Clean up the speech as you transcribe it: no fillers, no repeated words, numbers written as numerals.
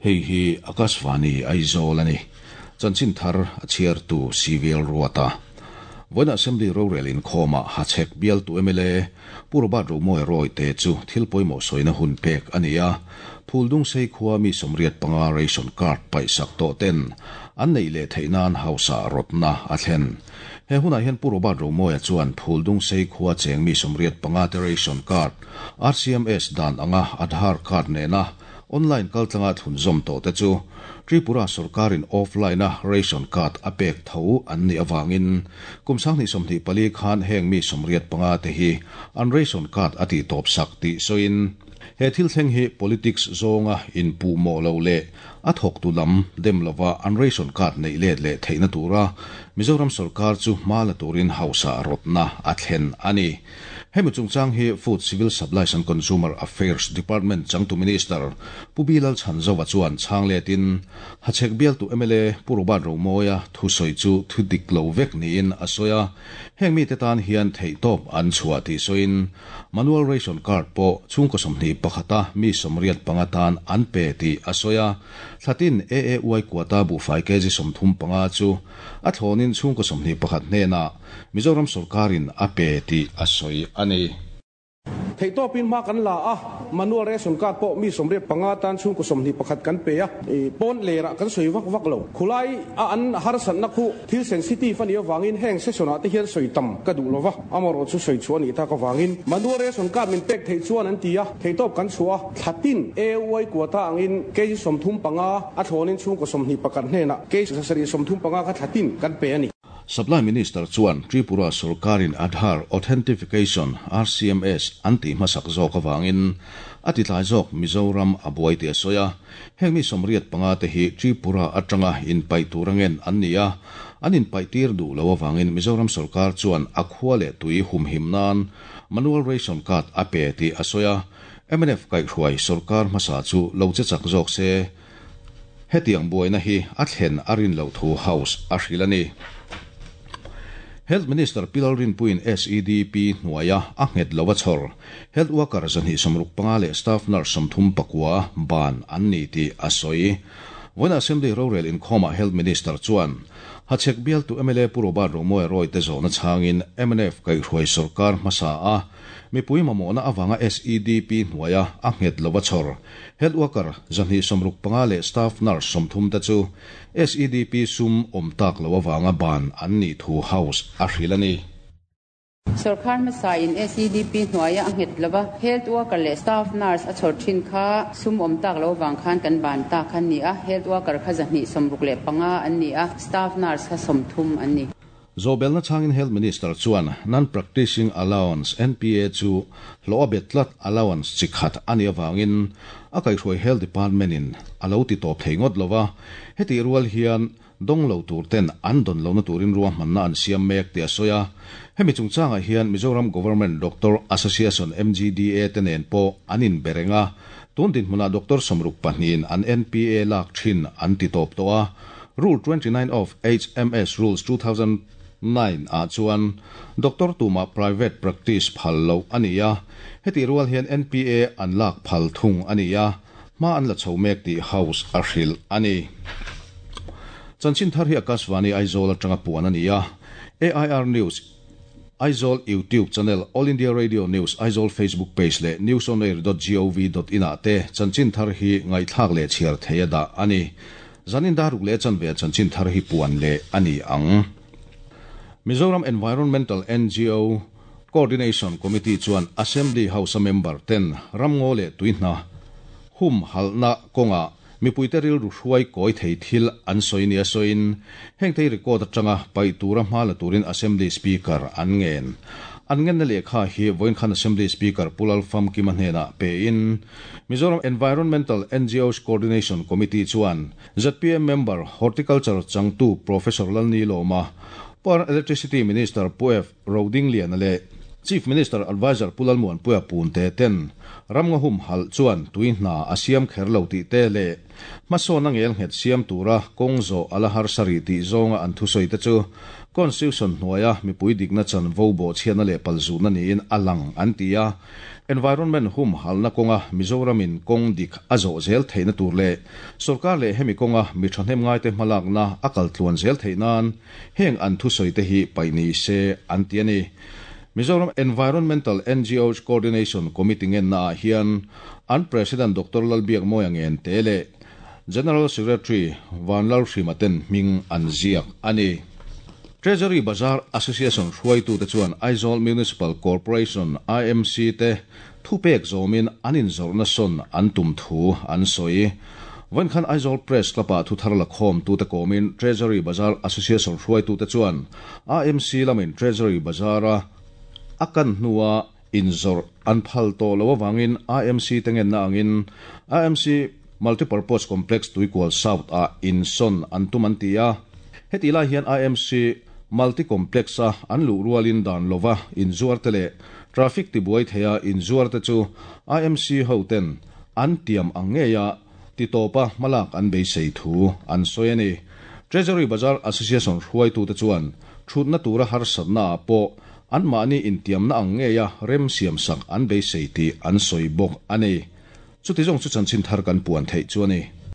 Hei hi Akashvani Aizawl a ni. Chanchin thar a chhiartu CVL Ruata. Vawiin Assembly rorel inkhawmah Hachhek bialtu mla Pu Robert Romawia Rawite chu thil pawimawh sawina hun pek a ni a. Phuldungsei khua mi 85 ration card paihsak tawh ten an neih leh theih nan hausa rawtna a thlen. He hunah hian Pu Robert Romawia chuan Phuldungsei khua cheng mi 85 te ration card RCMS dan anga Aadhaar card nena Online kaltlanga thlunzawm tawh te chu Tripura sorkarin offline-a ration card a pek tho an nih avangin kum 2024 khan heng mi 85 te hi an ration card a tihtawp sak tih sawiin he thil thleng hi politics zawnga inpuhmawh lo leh a thawktu lam dem lova an ration card neih let leh theihna tura Mizoram sorkar chu hma la turin hausa rawtna a thlen a ni. Hemi chungchang hi Food, Civil Supplies and Consumer Affairs Department changtu Minister Pu Bilal Chhanzova chuan chhang letin Hachhek bialtu mla Pu Robert Romawia thusawi chu thu dik lo vek niin a sawi a, heng mite tan hian theihtawp an chhuah tih sawiin Manual Ration Card pawh chhungkaw 21 a mi 85 tan an pe tih a sawi a, thlatin AAY quota buhfai kg 35 chu a thlawnin chhungkaw 21 hnenah Mizoram sorkarin a pe tih a sawi a ni. Theihtawpin hma kan la a, manual ration card pawh mi 85 tan chhungkaw 21 kan pe a, pawn lerah kan sawi vak vak lo. Khulai a an harsatna khu thil sensitive a nih avangin heng session ah te hian sawi tam ka duh lova, amaherawh chu sawi chhuah a nih tak avangin manual ration card min pek theih chuan an ti a, theihtawp kan chhuah a, thlatin AY quota angin kg 35 a thlawnin chhungkaw 21 hnenah kg 735 kha thlatin kan pe a ni. Supply Minister chuan Tripura sorkarin Aadhaar Authentification, RCMS, an tih hmasak zawk avangin a titlai zawk Mizoram a buai tih a sawi a. Heng mi 85 te hi Tripura atanga inpaih tur angen an ni a, an inpaihtir duh lo avangin Mizoram sorkar chuan a khua leh tui humhim nan manual ration card a pe tih a sawi a. Mnf kaihhruai sorkar hmasa chu lo che chak zawk se. Hetiang buaina hi a thlen a rin loh thu House a hrilh a ni. Health Minister Pi Lalrinpuiin SEDP hnuaia a nghet lo a chhawr Health Worker 265 leh Staff Nurse 39 ban an ni tih a sawi. Vawiin Assembly rorel inkhawmah Health Minister chuan Hachhek bialtu mla Pu Robert Romawia Roy te zawhna chhangin mnf kaihhruai sorkar hmasa a mipui mamawhna avanga SEDP hnuaia a nghet lo a chhawr Health worker 265 leh staff nurse 30 te chu SEDP sum awm tak lo avanga ban an nih thu House a hrilh a ni. Sorkar hmasain SEDP hnuaia a nghet lova health worker leh staff nurse a chhawr thin kha sum awm tak lo avang khan kan ban tak kha an ni a, health worker kha 265 an ni a, staff nurse kha 30 an ni. Zawhbelna chhangin Health Minister chuan Non-Practicing Allowance, NPA, chu hlawh a bet tlat allowance chi khat a nih avangin a kaihhruai Health Department-in a lo ti tawp thei ngawt lo va, hetih rual hian dawng lo tur ten an dawn lohna turin ruahmanna an siam mek tih a sawi a. Hemi chungchangah hian Mizoram Government Doctor Association, MGDA, te nen pawh an inbe reng a, tun dinhmunah doctor 64in an NPA lak thin an ti tawp tawh a. Rule 29 of HMS Rules 2009 ah chuan doctor tumah private practice phal loh a ni a, hetih rual hian NPA an lak phal thung a ni a, hma an la chho mek tih House a hrilh a ni. Chanchin thar hi Akashvani Aizawl atanga puan a ni a, AIR News Aizawl YouTube channel, All India Radio News Aizawl Facebook page leh newsonair dot gov dot in ah te chanchin thar hi ngaihthlak leh chhiar thei a dah a ni. Zanin daruk leh chanve chanchin thar hi puan leh a ni ang. Mizoram Environmental ngo Coordination Committee chuan Assembly House a member ten ramngaw leh tuihna hum halhna kawngah Mipuite rilru hruai kawi thei thil an sawi nia sawiin, hengte record atanga paih tura hma la turin Assembly Speaker an ngen. An ngenna lehkha hi vawiin khan Assembly Speaker Pu Lalfamkima hnenah pein, Mizoram Environmental NGOs Coordination Committee chuan zpm member Horticulture changtu Professor Lalnilawma, Power and Electricity Minister Pu F. Rodingliana leh Chief Minister Adviser Pu Lalmuanpuia Punte ten ramngaw humhalh chuan tui hna a siam kher lo tih te leh hmasawnna ngelnghet siam tura kawng zawh a la harsa rih tih zawnga an thusawi te chu Constitution hnuaia mipui dikna chanvo bawhchhiatna leh palzutna niin a lang an ti a. Environment humhalhna kawnga Mizoramin kawng dik a zawh zel theihna tur leh sorkar leh hemi kawnga mi thahnemngaite hmalakna a kal tluan zel theih nan heng an thusawi te hi paih ni se an ti a ni. Mizoram Environmental NGOs Coordination Committee ngennaah hian an President Doctor Lalbiakmawia Ngente leh General Secretary Vanlalhrima ten hming an ziak a ni. Treasury Bazar Association hruaitute chuan Aizawl Municipal Corporation, AMC, te thupek zawmin an inzawrhna sawn an tum thu an sawi. Vawiin khan Aizawl Press Club-ah thuthar lakhawmtute kawmin Treasury Bazar Association hruaitute chuan AMC lamin Treasury Bazar-a a kan hnua inzawrh an phal tawh loh avangin AMC te ngenna angin AMC Multipurpose Complex Tuikual South-ah insawn an tum an ti a. Hetih lai hian AMC Multi Complex-a an luh rualin dan lova inzuarte leh traffic tibuai theia inzuarte chu AMC hoten an tiam ang ngeia titawpa hmalak an beisei thu an sawi a ni. Treasury Bazar Association hruaitute chuan thutna tura harsatnaah pawh anmahni intiamna ang ngeia rem siamsak an beisei tih an sawi bawk a ni. Chuti zawng chu chanchin thar kan puan theih chu a ni.